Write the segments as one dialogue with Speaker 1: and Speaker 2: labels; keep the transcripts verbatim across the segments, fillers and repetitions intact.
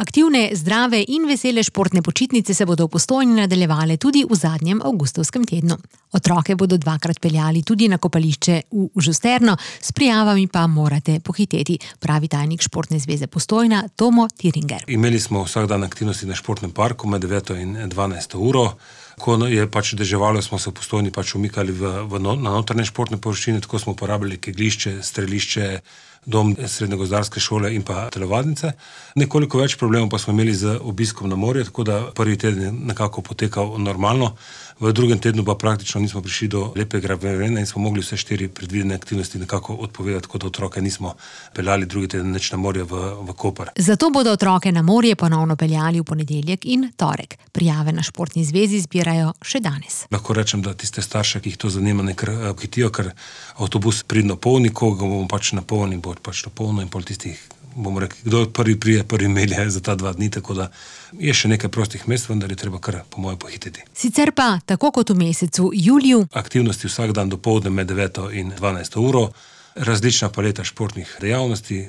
Speaker 1: Aktivne, zdrave in vesele športne počitnice se bodo v Postojni nadaljevale tudi v zadnjem avgustovskem tednu. Otroke bodo dvakrat peljali tudi na kopališče v Žusterno, s prijavami pa morate pohiteti, pravi tajnik Športne zveze Postojna Tomo Tiringer.
Speaker 2: Imeli smo vsak dan aktivnosti na športnem parku med deveto in dvanajsto uro. Ko je pač deževalo, smo se v Postojni pač umikali v, v no, na notranje športne površine, tako smo uporabljali kegljišče, strelišče, dom srednje gozdarske šole in pa telovadnice. Nekoliko več problemov pa smo imeli z obiskom na morje, tako da prvi teden je nekako potekal normalno. V drugem tednu pa praktično nismo prišli do lepega vremena in smo mogli vse štiri predvidene aktivnosti nekako odpovedati, tako da otroke nismo peljali drugi teden nič na morje v, v Koper.
Speaker 1: Zato bodo otroke na morje ponovno peljali v ponedeljek in torek. Prijave na Športni zvezi zbirajo še danes.
Speaker 2: Lahko rečem, da tiste starše, ki jih to zanima, nekaj hitijo, ker avtobus pridno polni, ko ga bomo pač napolnili, bo pač to polno in pol tistih, bomo rekli, kdo prvi prije, prvi melje za ta dva dni, tako da je še nekaj prostih mest, vendar je treba kar po moje pohiteti.
Speaker 1: Sicer pa, tako kot v mesecu juliju,
Speaker 2: aktivnosti vsak dan dopoldne med deveto in dvanajsto uro, različna paleta športnih dejavnosti,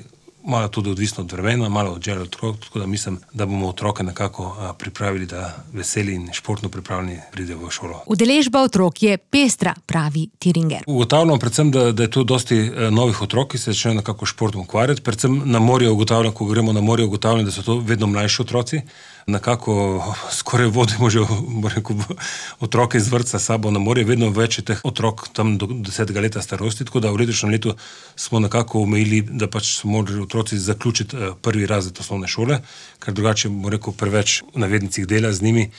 Speaker 2: malo tudi odvisno od vremena, malo od želja otrok, tako da mislim, da bomo otroke nekako a, pripravili, da veseli in športno pripravljeni pridejo v šolo.
Speaker 1: Udeležba otrok je pestra, pravi Tiringer.
Speaker 2: Ugotavljam predvsem, da, da je tu dosti e, novih otrok, ki se začnejo nekako športom ukvarjati. Predvsem na morje ugotavljam, ko gremo na morje, ugotavljam, da so to vedno mlajši otroci. Nekako skoraj vodimo že rekel, otroke iz vrtca sabo na morje, vedno več je teh otrok tam do desetega leta starosti, tako da v letošnjem letu smo nekako omejili, da pač so morali otroci zaključiti prvi razred osnovne šole, ker drugače, bo rekel, preveč v navednicah dela z njimi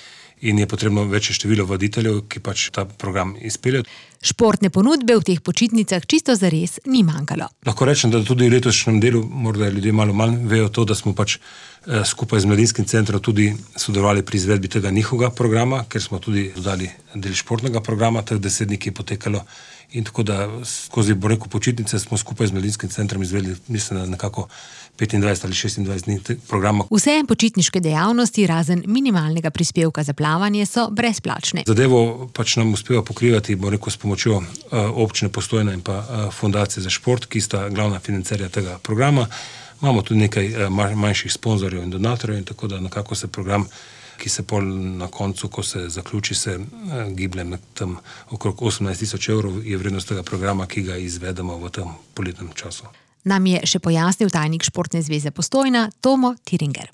Speaker 2: in je potrebno večje število voditeljev, ki pač ta program izpeljejo.
Speaker 1: Športne ponudbe v teh počitnicah čisto zares ni manjkalo.
Speaker 2: Lahko rečem, da tudi v letošnjem delu, morda ljudje malo manj vejo to, da smo pač eh, skupaj z Mladinskim centrom tudi sodelovali pri izvedbi tega njihovega programa, ker smo tudi dodali del športnega programa, teh deset dni, ki je potekalo. In tako da skozi, bo rekel, počitnice smo skupaj z Mladinskim centrom izvedli, mislim, da nekako petindvajset ali šestindvajset dni programa.
Speaker 1: Vse počitniške dejavnosti, razen minimalnega prispevka za plavanje, so brezplačne.
Speaker 2: Zadevo pač nam uspeva pokrivati, bo rekel, s pomočjo uh, občine Postojna in pa uh, Fundacije za šport, ki sta glavna financerja tega programa. Imamo tudi nekaj uh, manjših sponzorjev in donatorjev in tako da nekako se program, ki se pol na koncu, ko se zaključi, se eh, giblje med tam okrog osemnajst tisoč evrov je vrednost tega programa, ki ga izvedemo v tem poletnem času.
Speaker 1: Nam je še pojasnil tajnik Športne zveze Postojna Tomo Tiringer.